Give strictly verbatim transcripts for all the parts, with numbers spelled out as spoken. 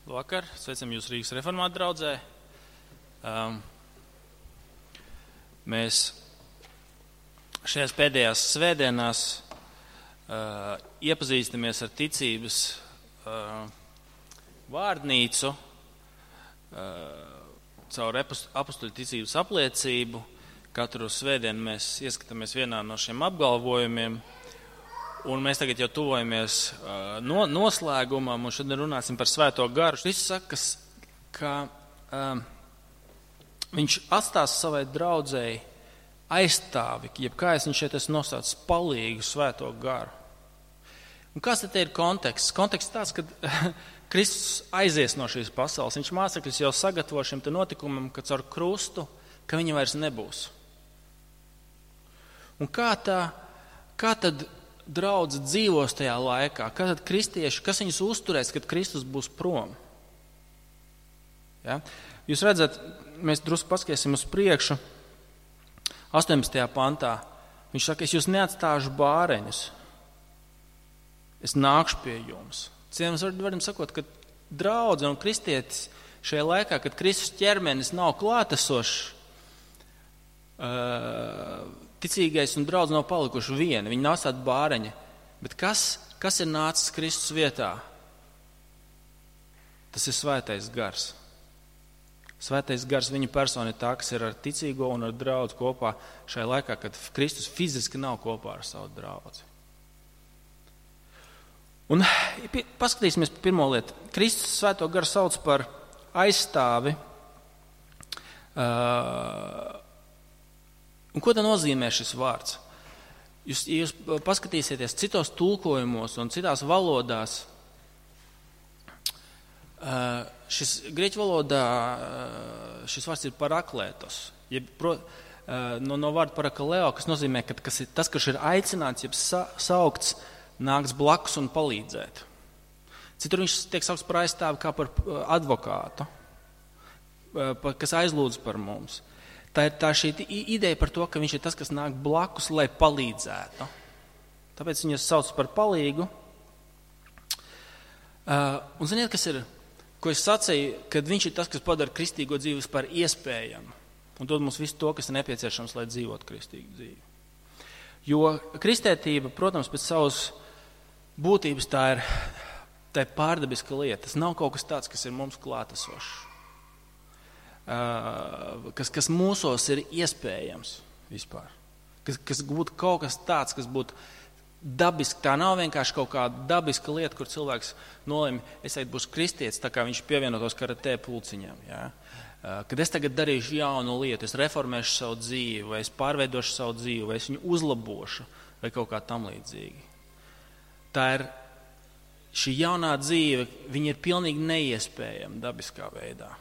Labvakar, sveicam jūs Rīgas reformātu draudzē. Um, mēs šajās pēdējās svētdienās uh, iepazīstamies ar ticības uh, vārdnīcu, uh, caur apustuļu ticības apliecību. Katru svētdienu mēs ieskatāmies vienā no šiem apgalvojumiem. Un mēs tagad jau tuvojamies uh, no, noslēgumam, un šodien runāsim par Svēto garu. Viņš saka, ka uh, viņš atstās savai draudzēji aizstāvi, jeb kā es viņš šeit esmu nosaucis, palīgu Svēto garu. Un kāds tad ir konteksts? Konteksts tāds, ka Kristus aizies no šīs pasaules. Viņš mācekļus jau sagatavo šim te notikumam, ka caur krustu, ka viņa vairs nebūs. Un kā tā, kā tad draudze dzīvos tajā laikā, kā tad kristieši, kas viņus uzturēs, kad Kristus būs prom? Ja? Jūs redzat, mēs drusku paskatīsim uz priekšu, astoņpadsmitajā pantā. Viņš saka, es jūs neatstāšu bāreņus, es nākšu pie jums. Cienījams, varam sakot, ka draudze un kristietis šajā laikā, kad Kristus ķermenis nav klātesošs, uh, ticīgais un draudz nav palikuši vieni, viņi nav atstāti bāreņi. Bet kas, kas ir nācis Kristus vietā? Tas ir Svētais gars. Svētais gars, viņa persona ir tā, kas ir ar ticīgo un ar draudz kopā šajā laikā, kad Kristus fiziski nav kopā ar savu draudzi. Un paskatīsimies par pirmo lietu. Kristus Svēto garu sauc par aizstāvi. Uh, Un ko tā nozīmē šis vārds? Jūs, ja jūs paskatīsieties citos tulkojumos un citās valodās, šis grieķu valodā šis vārds ir paraklētos. Jeb, pro, no, no vārda parakaleo, kas nozīmē, ka kas ir, tas, kas ir aicināts, jeb sa, saukts, nāks blakus un palīdzēt. Citur viņš tiek saukts par aizstāvi kā par advokātu, kas aizlūdz par mums. Tā ir tā šī ideja par to, ka viņš ir tas, kas nāk blakus, lai palīdzētu. Tāpēc viņu sauc par palīgu. Uh, un ziniet, kas ir, ko es sacīju, kad viņš ir tas, kas padara kristīgo dzīvi par iespējamu. Un dod mums visu to, kas ir nepieciešams, lai dzīvotu kristīgu dzīvi. Jo kristētība, protams, pēc savas būtības tā ir, tā ir pārdabiska lieta. Tas nav kaut kas tāds, kas ir mums klātesošs. Uh, kas, kas mūsos ir iespējams vispār. Kas, kas būtu kaut kas tāds, kas būtu dabiski. Tā nav vienkārši kaut kāda dabiska lieta, kur cilvēks nolēma, es teikt, būšu kristietis, tā kā viņš pievienotos karatē pulciņām. Ja? Uh, kad es tagad darīšu jaunu lietu, es reformēšu savu dzīvi, vai es pārveidošu savu dzīvi, vai es viņu uzlabošu, vai kaut kā tam līdzīgi. Tā ir šī jaunā dzīve, viņa ir pilnīgi neiespējama dabiskā veidā.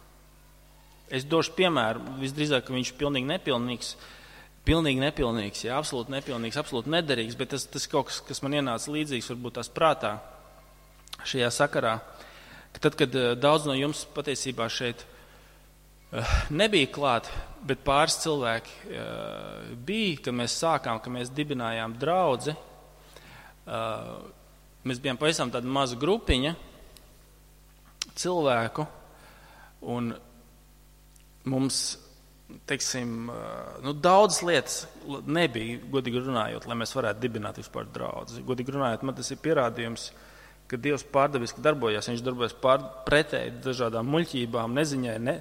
Es došu piemēru, visdrīzāk, ka viņš ir pilnīgi nepilnīgs, pilnīgi nepilnīgs, jā, absolūti nepilnīgs, absolūti nederīgs, bet tas, tas kaut kas, kas man ienāca līdzīgs, varbūt tās prātā šajā sakarā, ka tad, kad daudz no jums patiesībā šeit nebija klāt, bet pāris cilvēki bija, kad mēs sākām, kad mēs dibinājām draudzi, mēs bijām pavisam tāda maza grupiņa cilvēku, un mums, teiksim, nu, daudzas lietas nebija, godīgi runājot, lai mēs varētu dibināt vispār draudzi. Godīgi runājot, man tas ir pierādījums, ka Dievs pārdabiski darbojas. Viņš darbojas pār, pretēji dažādām muļķībām, neziņai, ne,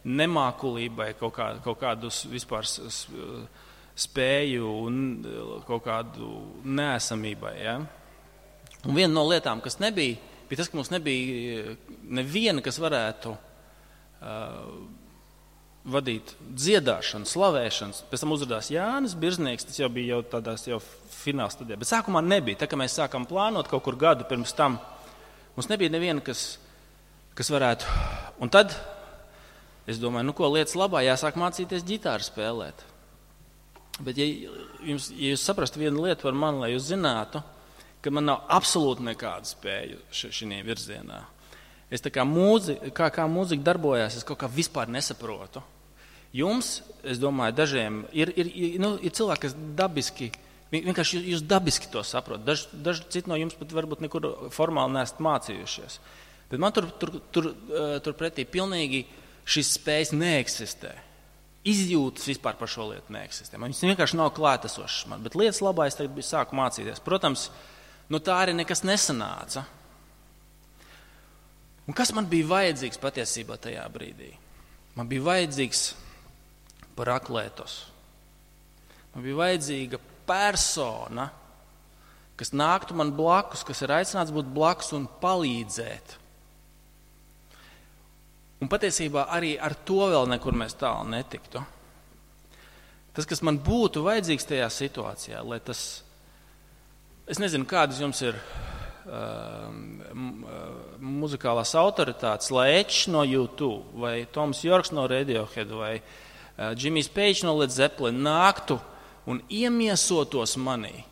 nemākulībai, kaut, kā, kaut kādus vispār spēju un kaut kādu neesamībai. Ja? Un viena no lietām, kas nebija, bija tas, ka mums nebija neviena, kas varētu uh, vadīt dziedāšanu, slavēšanas. Pēc tam uzrādās Jānis Birznieks, tas jau bija jau tādās jau fināla stadijā. Bet sākumā nebija. Tā kā mēs sākām plānot kaut kur gadu pirms tam, mums nebija neviena, kas, kas varētu. Un tad es domāju, nu ko, lietas labā, jāsāk mācīties ģitāru spēlēt. Bet ja, jums, ja jūs saprastu vienu lietu par mani, lai jūs zinātu, ka man nav absolūti nekāda spēja šajā virzienā. Es tā kā mūzika, kā, kā mūzika darbojās, es kaut kā vispār nesaprotu. Jums, es domāju, dažiem ir, ir, nu, ir cilvēki, kas dabiski, vienkārši jūs dabiski to saprot. Daži, daži citi no jums pat varbūt nekur formāli neesat mācījušies. Bet man tur, tur, tur, tur pretī pilnīgi šis spējas neeksistē. Izjūtas vispār par šo lietu neeksistē. Man viņas vienkārši nav klātesošas man, bet lietas labā es tagad sāku mācīties. Protams, nu tā arī nekas nesanāca. Un kas man bija vajadzīgs patiesībā tajā brīdī? Man bija vajadzīgs paraklētos. Man bija vajadzīga persona, kas nāktu man blakus, kas ir aicināts būt blakus un palīdzēt. Un patiesībā arī ar to vēl nekur mēs tālu netiktu. Tas, kas man būtu vajadzīgs tajā situācijā, lai tas, es nezinu, kādas jums ir uh, muzikālās autoritātes, lai Edge no U two, vai Toms Yorks no Radiohead, vai uh, Jimmy's Page no Led Zeppelin nāktu un iemiesotos manī.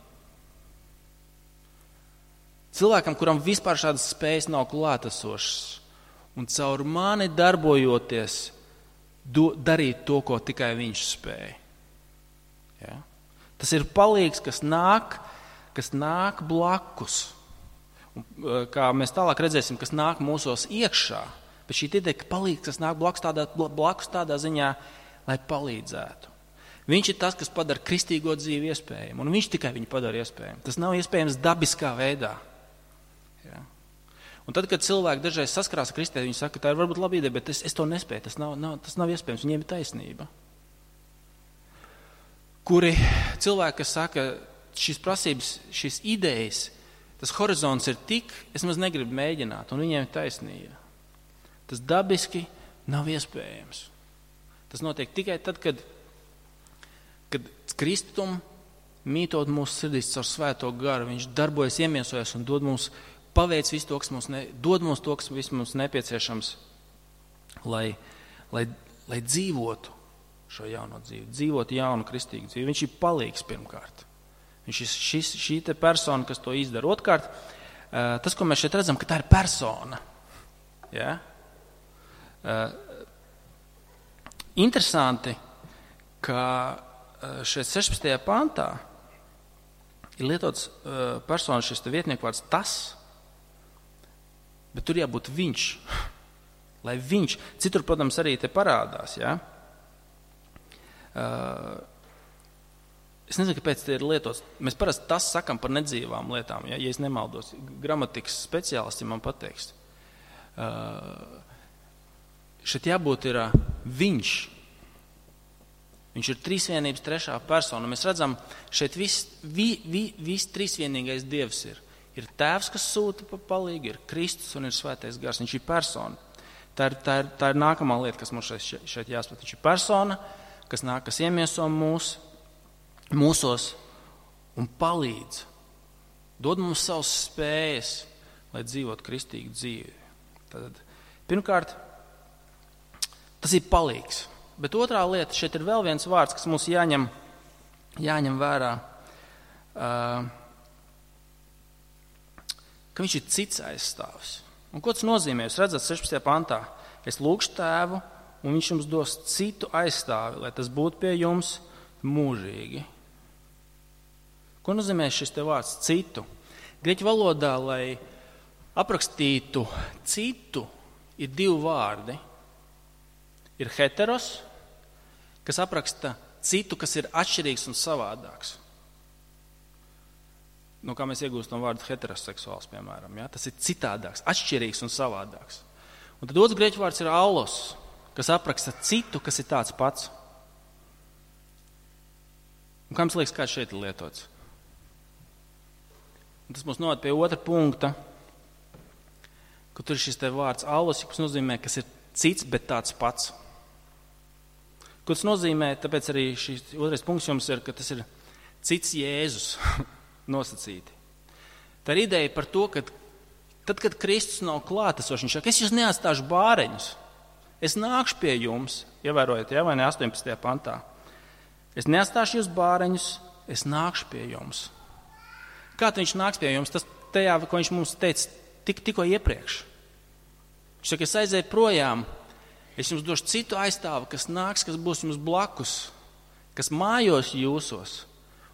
Cilvēkam, kuram vispār šādas spējas nav klātesošas, un caur mani darbojoties, do, darīt to, ko tikai viņš spēja. Ja? Tas ir palīgs, kas nāk, kas nāk blakus. Un, kā mēs tālāk redzēsim, kas nāk mūsos iekšā, bet šī ideja, ka palīgs, kas nāk blakus tādā, blakus tādā ziņā, lai palīdzētu. Viņš ir tas, kas padara kristīgo dzīvi iespējamu, un viņš tikai viņu padara iespējamu. Tas nav iespējams dabiskā veidā. Ja? Un tad, kad cilvēki dažreiz saskarās ar kristē, viņi saka, tā ir varbūt laba ideja, bet es, es to nespēju, tas nav, nav, tas nav iespējams, viņiem ir taisnība. Kuri cilvēki, kas saka, šīs prasības, šīs idejas, tas horizonts ir tik, es maz negribu mēģināt, un viņiem ir taisnība. Tas dabiski nav iespējams. Tas notiek tikai tad, kad, kad Kristum mītot mūsu sirdīs caur svēto garu, viņš darbojas, iemiesojas un dod mums paveic visu to, kas mums, ne, dod mums to, kas mums nepieciešams, lai, lai, lai dzīvotu šo jauno dzīvi, dzīvotu jaunu kristīgu dzīvi. Viņš ir palīgs pirmkārt. Viņš ir šis, šī te persona, kas to izdara. Otkārt, tas, ko mēs šeit redzam, ka tā ir persona. Ja? Interesanti, ka šeit sešpadsmitajā pantā ir lietots persona šis te vietnieku vārds tas, bet tur jābūt viņš, lai viņš, citur, protams, arī te parādās, ja? Uh, es nezinu, kāpēc te ir lietots, mēs parasti tas sakam par nedzīvām lietām, ja, ja es nemaldos, gramatikas speciālisti man pateiks. Uh, šeit jābūt ir uh, viņš. Viņš ir trīsvienības trešā persona. Mēs redzam, šeit viss vi, vi, vis trīsvienīgais Dievs ir. Ir tēvs, kas sūta pa palīgu, ir Kristus un ir svētais gars. Viņš ir persona. Tā ir, tā ir, tā ir nākamā lieta, kas mums šeit, šeit jāspat. Viņš ir persona, kas nāk, kas iemieso mūs, mūsos un palīdz. Dod mums savas spējas, lai dzīvot kristīgu dzīvi. Tad, pirmkārt, tas ir palīgs. Bet otrā lieta, šeit ir vēl viens vārds, kas mums jāņem, jāņem vērā. Uh, ka viņš ir cits aizstāvis. Un ko tas nozīmē? Jūs redzat sešpadsmitajā pantā. Es lūgšu tēvu, un viņš jums dos citu aizstāvi, lai tas būtu pie jums mūžīgi. Ko nozīmē šis te vārds citu? Grieķu valodā, lai aprakstītu citu, ir divi vārdi. Ir heteros, kas apraksta citu, kas ir atšķirīgs un savādāks. No kā mēs iegūstam vārdu heteroseksuāls, piemēram. Ja? Tas ir citādāks, atšķirīgs un savādāks. Un tad otrs grieķu vārds ir aulos, kas apraksta citu, kas ir tāds pats. Un kā jums liekas, kā šeit ir lietots? Un tas mums noved pie otra punkta, ka tur ir šis te vārds aulos, kas nozīmē, kas ir cits, bet tāds pats. Ko tas nozīmē, tāpēc arī šis otrais punkts jums ir, ka tas ir cits Jēzus. Nosacīti. Tā ir ideja par to, ka tad, kad Kristus nav klātesošs, viņš saka, es jūs neatstāšu bāreņus. Es nākšu pie jums, ievērojot, ja, vai ne astoņpadsmitajā pantā. Es neatstāšu jūs bāreņus, es nākšu pie jums. Kā viņš nāks pie jums? Tas tajā, ko viņš mums teica tik, tikko iepriekš. Viņš saka, es aizēju projām, es jums došu citu aizstāvu, kas nāks, kas būs jums blakus, kas mājos jūsos.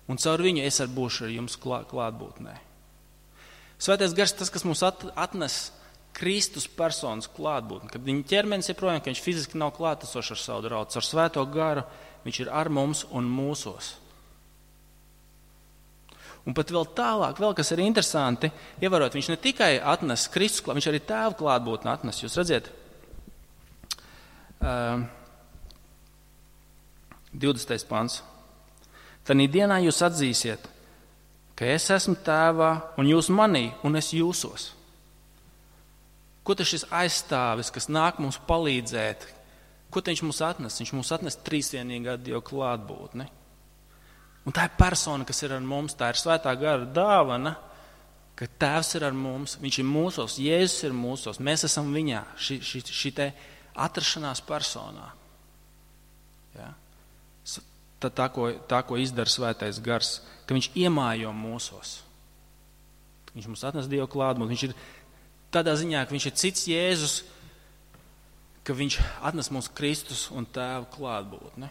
Un caur viņu es arī būšu ar jums klā, klātbūtnē. Svētais gars tas, kas mums at, atnes Kristus personas klātbūtni, kad viņa ķermenis ir projām, ka viņš fiziski nav klātesošs ar savu draugu. Ar Svēto garu viņš ir ar mums un mūsos. Un pat vēl tālāk, vēl kas ir interesanti, ievērot, viņš ne tikai atnes Kristus klātbūtni, viņš arī Tēva klātbūtni atnes. Jūs redziet, uh, divdesmitais pants. Tanī dienā jūs atzīsiet, ka es esmu Tēvā un jūs manī un es jūsos. Ko tas šis aizstāvis, kas nāk mums palīdzēt? Ko viņš mums atnes? Viņš mums atnes trīsvienīgā Dieva klātbūtni. Un tā ir persona, kas ir ar mums, tā ir Svētā gara dāvana, ka Tēvs ir ar mums, viņš ir mūsos, Jēzus ir mūsos, mēs esam viņā, šī, šī, šī te atrašanās personā. Ja? Tā, tā, ko, tā, ko izdara Svētais gars, ka viņš iemājo mūsos. Viņš mums atnes Dieva klātbūtni, viņš ir tādā ziņā, ka viņš ir cits Jēzus, ka viņš atnes mums Kristus un Tēva klātbūtni.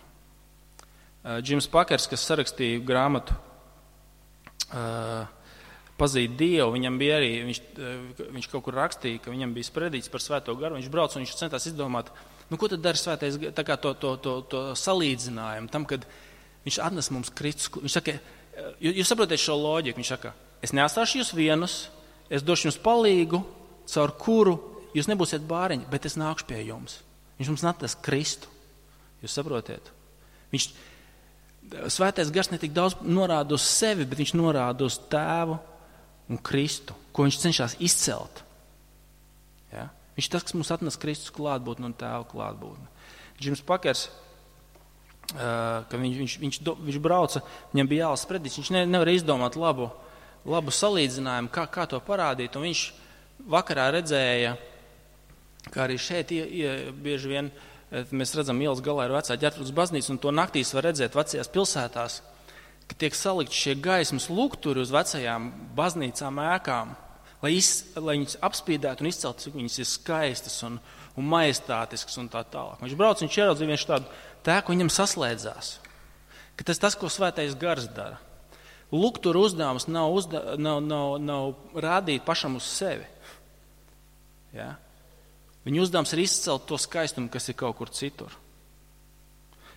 Džims Pakers, kas sarakstīja grāmatu uh, Pazīt Dievu, viņam bija arī, viņš, uh, viņš kaut kur rakstīja, ka viņam bija spredīts par Svēto garu, viņš brauc un viņš centās izdomāt, nu ko tad dara Svētais gars, tā kā to, to, to, to salīdzinājumu tam, kad viņš atnes mums Kristus. Viņš saka, jūs, jūs saprotiet šo loģiku, viņš saka, es neatstāšu jūs vienus, es došu jums palīgu, caur kuru jūs nebūsiet bāriņi, bet es nākšu pie jums. Viņš mums atnes Kristu. Jūs saprotiet? Viņš, Svētais gars ne tik daudz norāda uz sevi, bet viņš norāda uz Tēvu un Kristu, ko viņš cenšas izcelt. Ja? Viņš tas, kas mums atnes Kristus klātbūtni un Tēva klātbūtni. Džims Pakers, uh, ka viņš, viņš, viņš, do, viņš brauca, viņam bija jālas predīts, viņš ne, nevar izdomāt labu, labu salīdzinājumu, kā, kā to parādīt, un viņš vakarā redzēja, kā arī šeit ie, ie, bieži vien mēs redzam ielas galā ir vecā Ģertrūdas baznīca, un to naktīs var redzēt vecajās pilsētās, ka tiek salikt šie gaismas lukturi uz vecajām baznīcām ēkām, lai, iz, lai viņas apspīdētu un izceltu, cik viņas ir skaistas un, un majestātiskas un tā tālāk. Viņš brauc, viņš ieraudzīja vienš tādu tēku, viņam saslēdzās, ka tas tas, ko Svētais gars dara. Lukturu uzdevums nav, uzda, nav, nav, nav rādīt pašam uz sevi. Ja? Viņa uzdevums ir izcelt to skaistumu, kas ir kaut kur citur.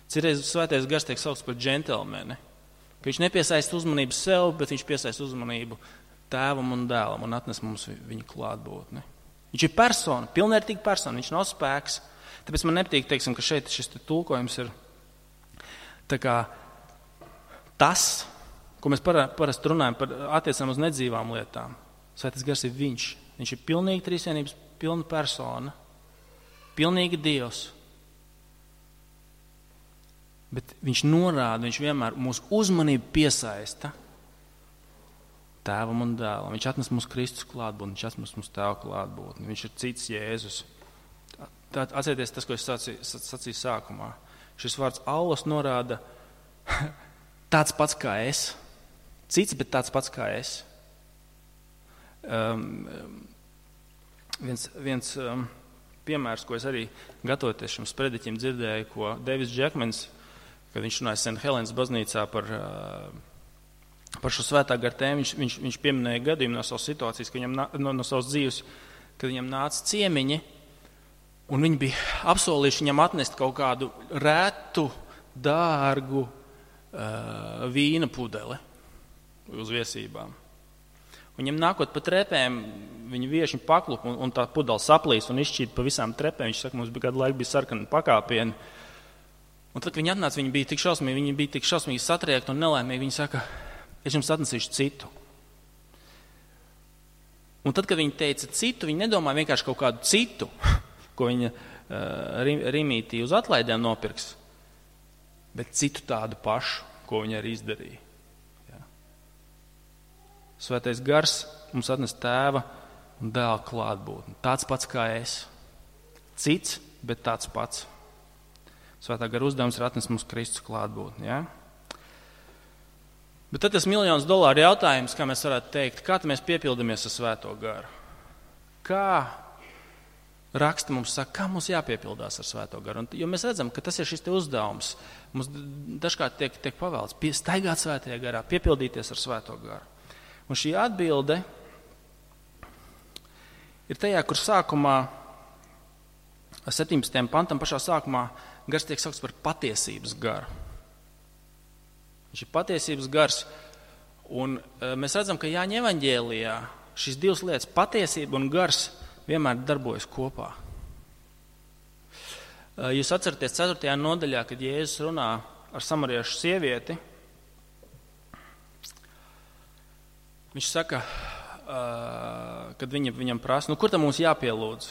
Citreiz Svētais gars tiek saukts par džentelmeni, ka viņš nepiesaista uzmanību sev, bet viņš piesaista uzmanību Tēvam un Dēlam un atnes mums viņa klātbūtni. Viņš ir persona, pilnvērtīga persona, viņš nav spēks. Tāpēc man nepatīk, teiksim, ka šeit šis tulkojums ir tā kā tas, ko mēs parasti runājam par attiecām uz nedzīvām lietām. Svētais gars ir viņš. Viņš ir pilnīgi trīsvienības pilna persona, pilnīgi Dievs. Bet viņš norāda, viņš vienmēr mūsu uzmanību piesaista Tēvam un Dēlam. Viņš atnes mums Kristus klātbūtni, viņš atnes mums Tēva klātbūtni. Viņš ir cits Jēzus. Atcerieties tas, ko es sacīju, sacīju sākumā. Šis vārds Aulos norāda tāds pats kā es. Cits, bet tāds pats kā es. Um, viens viens um, piemērs, ko es arī gatavoties šim sprediķim dzirdēju, ko Davids Džekmans, kad viņš runāja Saint Helens baznīcā par, uh, par šo svētā gara tēmu, viņš, viņš, viņš pieminēja gadījumu no savas situācijas, ka viņam, no, no savas dzīves, kad viņam nāca ciemiņi, un viņi bija apsolījuši viņam atnest kaut kādu rētu, dārgu uh, vīna pudeli uz viesībām. Viņam nākot pa trepēm, viņa vieši paklup un, un tā pudala saplīs un izšķīt pa visām trepēm. Viņš saka, mums bija kādu laiku bija sarkani pakāpieni. Un tad, kad viņi atnāca, viņi bija tik šausmīgi, viņi bija tik šausmīgi satriekti un nelaimīgi. Viņi saka, es jums atnesīšu citu. Un tad, kad viņi teica citu, viņi nedomāja vienkārši kaut kādu citu, ko viņa uh, Rimītī uz atlaidēm nopirks, bet citu tādu pašu, ko viņa arī izdarīja. Svētais gars mums atnes Tēva un Dēla klātbūtni. Tāds pats kā es. Cits, bet tāds pats. Svētā gara uzdevums ir atnes mums Kristus klātbūtni. Ja? Bet tad tas miljonus dolāru jautājums, kā mēs varētu teikt, kā mēs piepildamies ar Svēto garu? Kā raksta mums saka, kā mums jāpiepildās ar Svēto garu? Un, jo mēs redzam, ka tas ir šis te uzdevums. Mums dažkārt tiek, tiek pavēlts staigāt Svētajā garā, piepildīties ar Svēto garu. Un šī atbilde ir tajā, kur sākumā, septiņpadsmitajam pantam pašā sākumā, gars tiek saukts par patiesības garu. Viņš ir patiesības gars, un mēs redzam, ka Jāņa evaņģēlijā šīs divas lietas, patiesība un gars, vienmēr darbojas kopā. Jūs atceraties ceturtajā nodaļā, kad Jēzus runā ar samariešu sievieti, viņš saka, kad viņa, viņam prasa, nu kur tam mums jāpielūdz?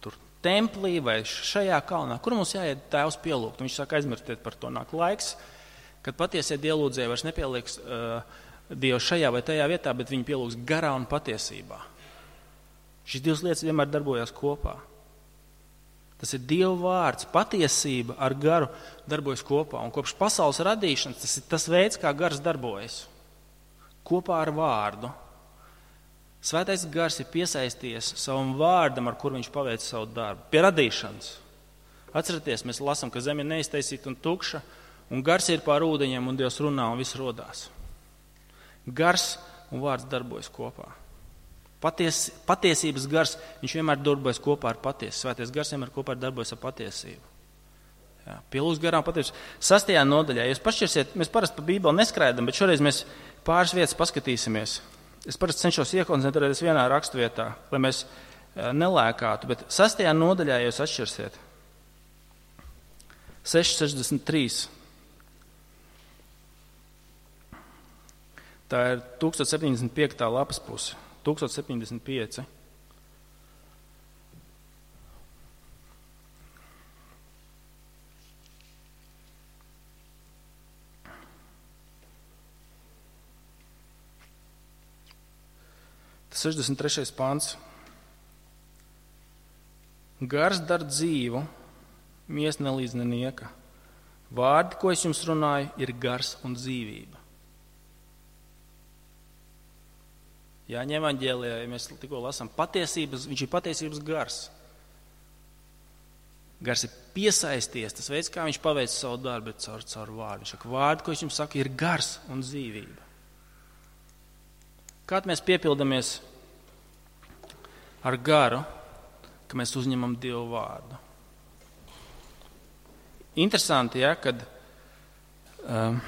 Tur templī vai šajā kalnā, kur mums jāiet Tēvs pielūgt? Un viņš saka, aizmirstiet par to, nāk laiks, kad patiesie dievlūdzēji vairs nepieliks uh, Dievu šajā vai tajā vietā, bet viņi pielūgs garā un patiesībā. Šīs divas lietas vienmēr darbojās kopā. Tas ir Dieva vārds, patiesība ar garu darbojas kopā. Un kopš pasaules radīšanas tas ir tas veids, kā gars darbojas. Kopā ar vārdu. Svētais gars ir piesaisties savam vārdam, ar kur viņš paveic savu darbu. Pie radīšanas. Atcerieties, mēs lasām, ka zeme ir neiztaisīta un tukša, un gars ir pār ūdeņiem, un Dievs runā, un viss rodās. Gars un vārds darbojas kopā. Paties, patiesības gars, viņš vienmēr darbojas kopā ar patiesību. Svētais gars vienmēr kopā darbojas ar patiesību. Jā, pielūgs garām patiesību. Sastajā nodaļā, ja jūs pašķirsiet, mēs parasti pa Bībeli neskraidam, bet šoreiz mēs pāris vietas paskatīsimies. Es parasti cenšos iekoncentrēties vienā rakstvietā, lai mēs nelēkātu, bet sastajā nodaļā, ja jūs atšķirsiet, seši sešdesmit trīs. Tā ir tūkstoš septiņdesmit piekta lapas puse. tūkstoš septiņdesmit pieci. Tas sešdesmit trešais pants. Gars dar dzīvu, mies nelīdz nenieka. Vārdi, ko es jums runāju, ir gars un dzīvība. Jāņa evaņģēlijā, ja mēs tikko lasām, patiesības, viņš ir patiesības gars. Gars ir piesaisties, tas veids, kā viņš paveic savu darbu, bet caur, caur vārdu. Viņš saka, vārdi, ko es jums saku, ir gars un dzīvība. Kād mēs piepildamies ar garu, ka mēs uzņemam Dievu vārdu? Interesanti, ja, kad um,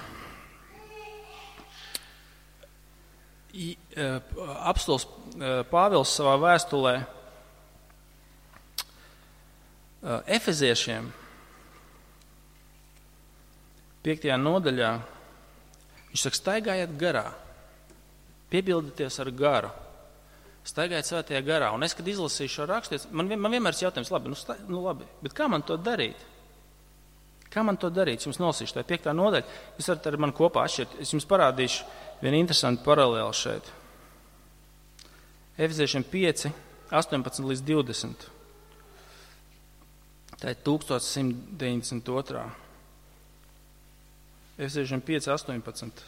apostuls Pāvils savā vēstulē Efeziešiem piektajā nodaļā viņš saka, staigājiet garā, piepildieties ar garu, staigājiet svētajā garā. Un es, kad izlasīju šo rakstu, man, man vienmēr ir jautājums, labi, nu, sta, nu labi, bet kā man to darīt? Kā man to darīt? Es jums nolasīšu, tā ir piektā nodaļa. Jūs varat ar mani kopā atšķirt. Es jums parādīšu vienu interesantu paralēli šeit. Efeziešiem pieci, astoņpadsmit līdz divdesmit. Tā ir tūkstoš simt deviņdesmit otrā. Efeziešiem pieci, astoņpadsmit.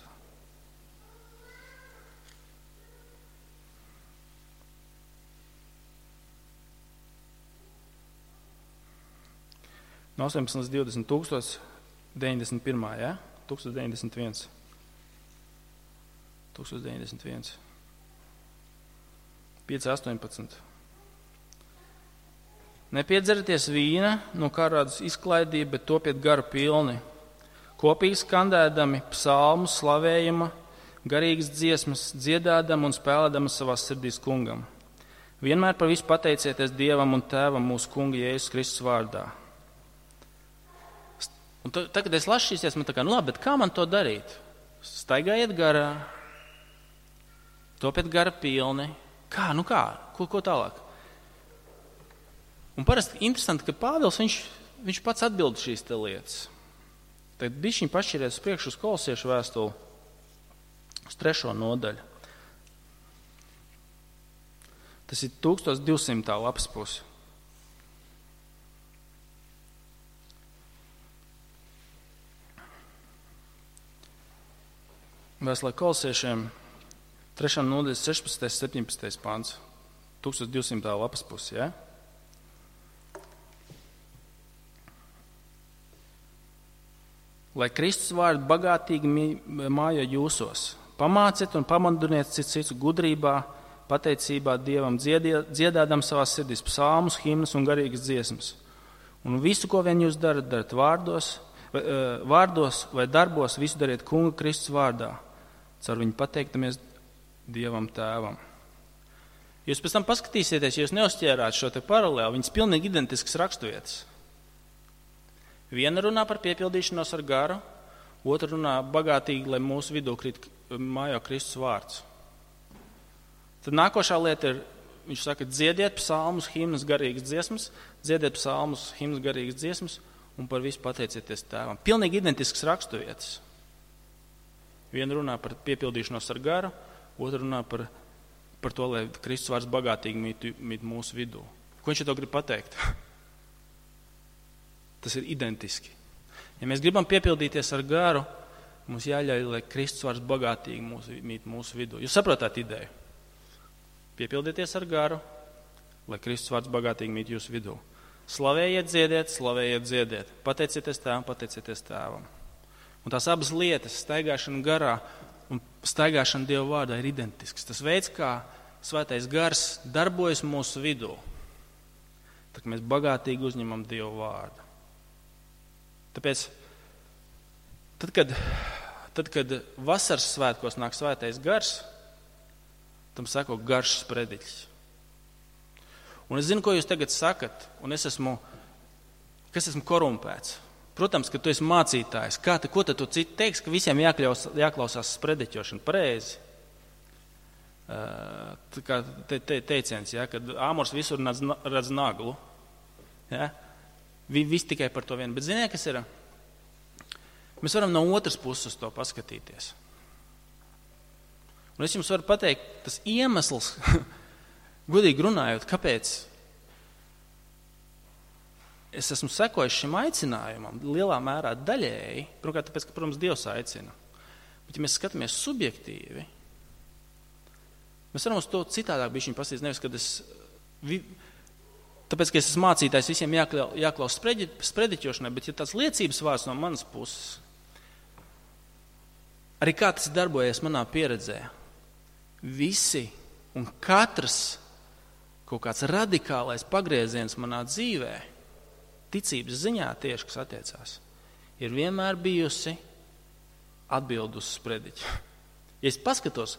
No astoņpadsmit līdz divdesmit, tūkstoš deviņdesmit pirmā, ja? tūkstoš deviņdesmit viens. tūkstoš deviņdesmit viens. pieci, astoņpadsmit. Nepiedzerieties vīna, no kā rādas izklaidība, bet topiet garu pilni. Kopīgi skandēdami psalmus, slavējuma, garīgas dziesmas, dziedādam un spēlēdam savās sirdīs kungam. Vienmēr par visu pateicieties Dievam un Tēvam mūsu kunga Jēzus Kristus vārdā. Un tad, kad es lasu šīs, man tā kā, nu labi, bet kā man to darīt? Staigājiet garā, topiet gara pilni. Kā, nu kā? Ko, ko tālāk? Un parasti interesanti, ka Pāvils, viņš, viņš pats atbild šīs te lietas. Tad bišķiņ pašķiriet uz priekšu uz Kolosiešu vēstuli, uz trešo nodaļu. Tas ir tūkstoš divsimtā lapas puse. Vēstulē Kolosiešiem trešā nodaļa sešpadsmitais, septiņpadsmitais pants. tūkstoš divsimtā lapas puse, ja? Lai Kristus vārdi bagātīgi mājo jūsos, pamāciet un pamudiniet cits citu gudrībā, pateicībā Dievam, dziedādam savās sirdīs psalmus, himnas un garīgas dziesmas. Un visu, ko vien jūs darat, darat vārdos, vai, vārdos vai darbos, visu dariet Kunga Kristus vārdā, caur viņu pateiktamies Dievam Tēvam. Jūs pēc tam paskatīsieties, ja jūs neuzķērāt šo te paralēli, viņas pilnīgi identiskas raksturvietas. Viena runā par piepildīšanos ar garu, otra runā bagātīgi, lai mūsu vidū krīt mājā Kristus vārds. Tad nākošā lieta ir, viņš saka, dziediet psalmus, himnas, garīgas dziesmas, dziediet psalmus, himnas, garīgas dziesmas un par visu pateicieties Tēvam. Pilnīgi identiskas raksturvietas. Viena runā par piepildīšanos ar garu, otra runā par, par to, lai Kristus vārds bagātīgi mīt, mīt mūsu vidū. Ko viņš to grib pateikt? Tas ir identiski. Ja mēs gribam piepildīties ar garu, mums jāļauj, lai Kristus vārds bagātīgi mūsu, mīt mūsu vidū. Jūs saprotat ideju? Piepildieties ar garu, lai Kristus vārds bagātīgi mīt jūsu vidū. Slavējiet, dziediet, slavējiet, dziediet. Pateicieties Tēvam, pateicieties Tēvam. Un tās abas lietas, staigāšana garā un staigāšana Dieva vārdā, ir identisks. Tas veids, kā Svētais gars darbojas mūsu vidū, tad mēs bagātīgi uzņemam Dieva vārdu. Tāpēc, tad, kad, tad, kad vasaras svētkos nāk Svētais gars, tam sako garš sprediķis. Un es zinu, ko jūs tagad sakat, un es esmu, kas esmu korumpēts. Protams, ka tu esi mācītājs. Kā te, ko te tu citu teiks, ka visiem jāklaus, jāklausās sprediķošana? Pareizi. Uh, tā kā te, te, teiciens, ja, kad āmurs visur redz naglu. Ja? Viss tikai par to vienu. Bet ziniet, kas ir? Mēs varam no otras puses to paskatīties. Un es jums varu pateikt, tas iemesls, godīgi runājot, kāpēc es esmu sekojis šim aicinājumam lielā mērā daļēji, pirmkārt, tāpēc, ka, protams, Dievs aicina. Bet, ja mēs skatāmies subjektīvi, mēs varam uz to citādāk bišķiņ pastīties, nevis, kad es, vi, tāpēc, ka es esmu mācītājs, visiem jāklaus spredi, sprediķošanai, bet ja tāds liecības vārds no manas puses, arī kā tas darbojas manā pieredzē, visi un katrs kaut kāds radikālais pagrieziens manā dzīvē, ticības ziņā tieši, kas attiecās, ir vienmēr bijusi atbild uz sprediķu. Ja es paskatos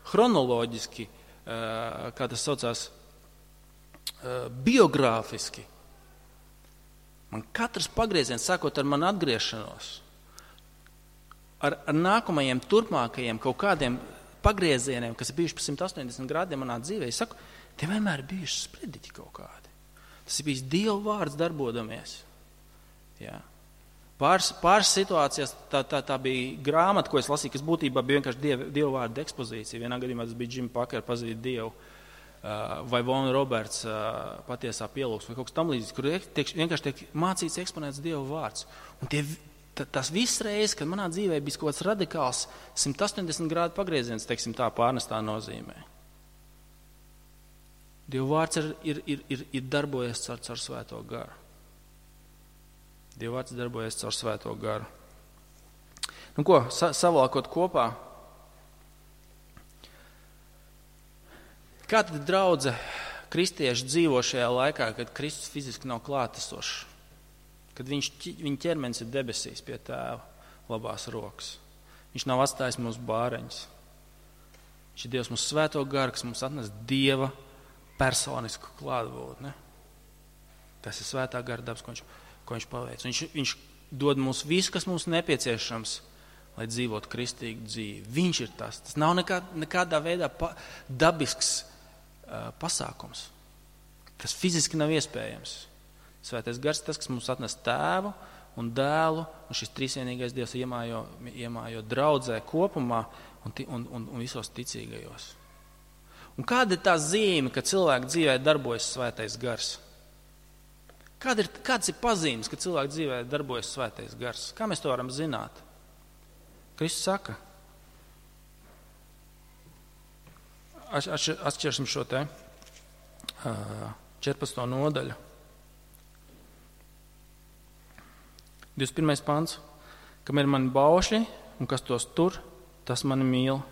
chronoloģiski, kā tas saucās, biogrāfiski, man katrs pagrieziens, sākot ar manu atgriešanos, ar, ar nākamajiem, turpmākajiem kaut kādiem pagriezieniem, kas ir bijuši pa simt astoņdesmit grādiem manā dzīvē, es saku, tie vienmēr ir bijuši sprediķi kaut kādi. Tas ir bijis Dieva vārds darbodamies. Jā. Pāris, pāris situācijās tā, tā, tā bija grāmata, ko es lasīju, kas būtībā bija vienkārši Dieva, Dieva vārda ekspozīcija. Vienā gadījumā tas bija Jim Packer, pazīt Dievu, vai Von Roberts, patiesā pielūgsme, vai kaut kas tam līdzīgs, kur tiek, vienkārši tiek mācīts, eksponēts Dieva vārds. Un tie, tas viss reizes, kad manā dzīvē bija kaut kāds radikāls simt astoņdesmit grādu pagrieziens, teiksim tā, pārnestā nozīmē. Dieva vārds ir, ir, ir, ir, ir darbojies caur, caur svēto garu. Dieva vārds darbojies caur svēto garu. Nu ko, sa, savākot kopā, kā tad draudze kristieši dzīvo šajā laikā, kad Kristus fiziski nav klātesošs, kad viņš, viņa ķermenis ir debesīs pie Tēva labās rokas. Viņš nav atstājis mūsu bāreņus. Viņš ir Dievs mūsu svēto garu, kas mums atnes Dieva personisku klātbūtni. Tas ir svētā gara dabas, ko viņš, ko viņš paveic. Viņš, viņš dod mums visu, kas mums nepieciešams, lai dzīvotu kristīgu dzīvi. Viņš ir tas. Tas nav nekā, nekādā veidā pa, dabisks uh, pasākums. Tas fiziski nav iespējams. Svētais gars ir tas, kas mums atnes Tēvu un Dēlu, un šis trīsvienīgais Dievs iemājo, iemājo draudzē kopumā un, un, un, un visos ticīgajos. Un kāda ir tā zīme, ka cilvēka dzīvē darbojas svētais gars? Kāda ir, kāds ir pazīmes, ka cilvēka dzīvē darbojas svētais gars? Kā mēs to varam zināt? Kristus saka. Atšķirsim šo te četrpadsmito nodaļu. divdesmit pirmais pants. Kam ir mani baušļi un kas tos tur, tas mani mīl.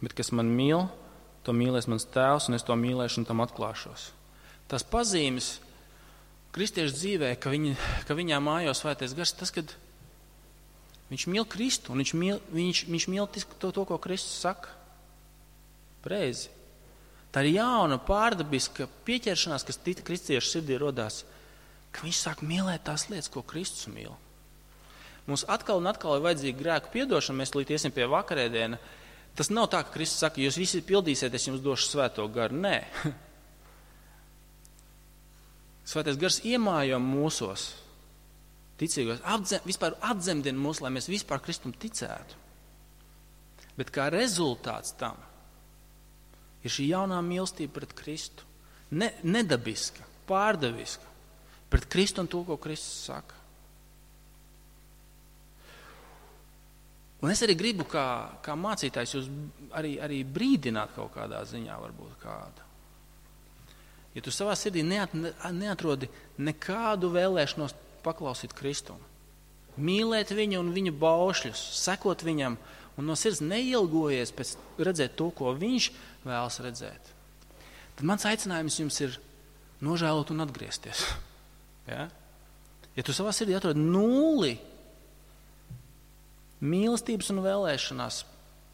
Bet kas mani mīl, to mīlēs mans tēvs, un es to mīlēšu un tam atklāšos. Tas pazīmes kristiešu dzīvē, ka, viņi, ka viņā mājo svētais gars, tas, kad viņš mīl Kristu, un viņš mīl, viņš, viņš mīl to, to, ko Kristus saka. Preizi. Tā ir jauna, pārdabiska pieķeršanās, kas tika kristiešu sirdī rodās, ka viņš sāk mīlēt tās lietas, ko Kristus mīl. Mums atkal un atkal ir vajadzīga grēku piedošana, mēs līdz iesim pie vakarēdiena. Tas nav tā, ka Kristus saka, jūs visi pildīsiet, es jums došu svēto garu. Nē. Svētais gars iemājo mūsos, ticīgos, apdzem, vispār atzemdina mūs, lai mēs vispār Kristum ticētu. Bet kā rezultāts tam ir šī jaunā mīlestība pret Kristu. Ne, nedabiska, pārdaviska, pret Kristu un to, ko Kristus saka. Un es arī gribu, kā, kā mācītājs, jūs arī, arī brīdināt kaut kādā ziņā, varbūt kādu. Ja tu savā sirdī neat, neatrodi nekādu vēlēšanos paklausīt Kristum, mīlēt viņu un viņa baušļus, sekot viņam un no sirds neilgojies pēc redzēt to, ko viņš vēlas redzēt, tad mans aicinājums jums ir nožēlot un atgriezties. Ja, ja tu savā sirdī atrodi nulli mīlestības un vēlēšanās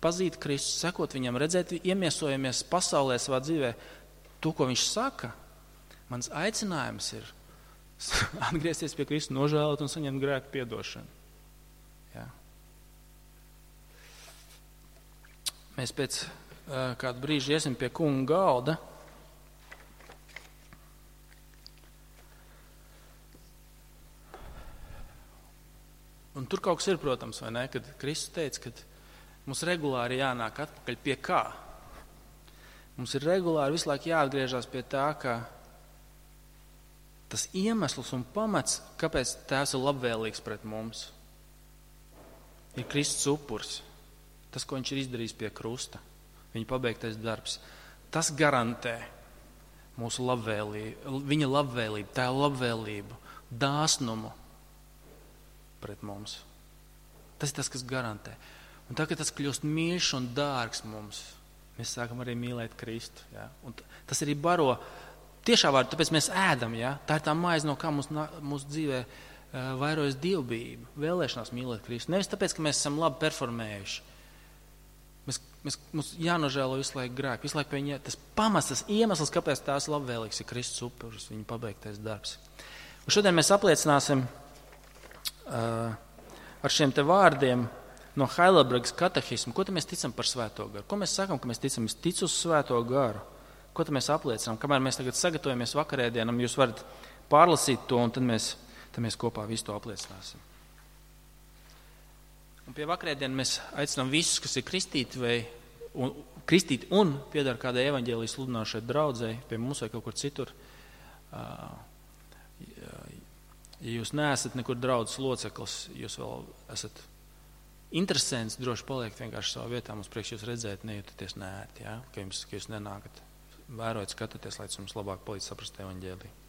pazīt Kristu, sekot viņam, redzēt, iemiesojamies pasaulē savā dzīvē, to, ko viņš saka, mans aicinājums ir atgriezties pie Kristu, nožēlot un saņemt grēku piedošanu. Ja. Mēs pēc uh, kādu brīžu iesim pie kunga galda. Un tur kaut kas ir, protams, vai ne, kad Kristus teica, ka mums regulāri jānāk atpakaļ pie kā. Mums ir regulāri visu laiku jāatgriežas pie tā, ka tas iemesls un pamats, kāpēc Tēvs ir labvēlīgs pret mums, ir Kristus upurs. Tas, ko viņš ir izdarījis pie krusta, viņa pabeigtais darbs. Tas garantē mūsu labvēlību, viņa labvēlību, Tēva labvēlību, dāsnumu pret mums. Tas ir tas, kas garantē. Un tā, kad tas kļūst mīļš un dārgs mums, mēs sākam arī mīlēt Kristu. Ja? Un tas arī baro, tiešā vārdā, tāpēc mēs ēdam. Ja? Tā ir tā maize, no kā mūsu, mūsu dzīvē uh, vairojas dievbijība, vēlēšanās mīlēt Kristu. Nevis tāpēc, ka mēs esam labi performējuši. Mēs, mēs, mums jānožēlo visu laiku grēku, visu laiku pie viņa. Tas pamats, tas iemesls, kāpēc tās labvēlīgs ir Kristus upuris, viņa pabeigtais darbs. Un šodien mēs apliecināsim Uh, ar šiem te vārdiem no Heidelbergas katehismu. Ko mēs ticam par svēto garu? Ko mēs sakam, ka mēs ticam? Es ticu uz svēto garu. Ko mēs apliecinām? Kamēr mēs tagad sagatavojamies vakarēdienam, jūs varat pārlasīt to, un tad mēs, tad mēs kopā visu to apliecināsim. Un pie vakarēdiena mēs aicinām visus, kas ir kristīti vai un, kristīti un piedara kādai evaņģēlijas sludinošai draudzei, pie mums vai kaut kur citur. Uh, Ja jūs neesat nekur draudzes loceklis, jūs vēl esat interesants, droši paliekt vienkārši savā vietā, mums priekš jūs redzēt, nejūtaties neērti, ja? ka, jums, ka jūs nenākat, vērojat, skatāties, lai jums labāk palīdz saprast evaņģēliju.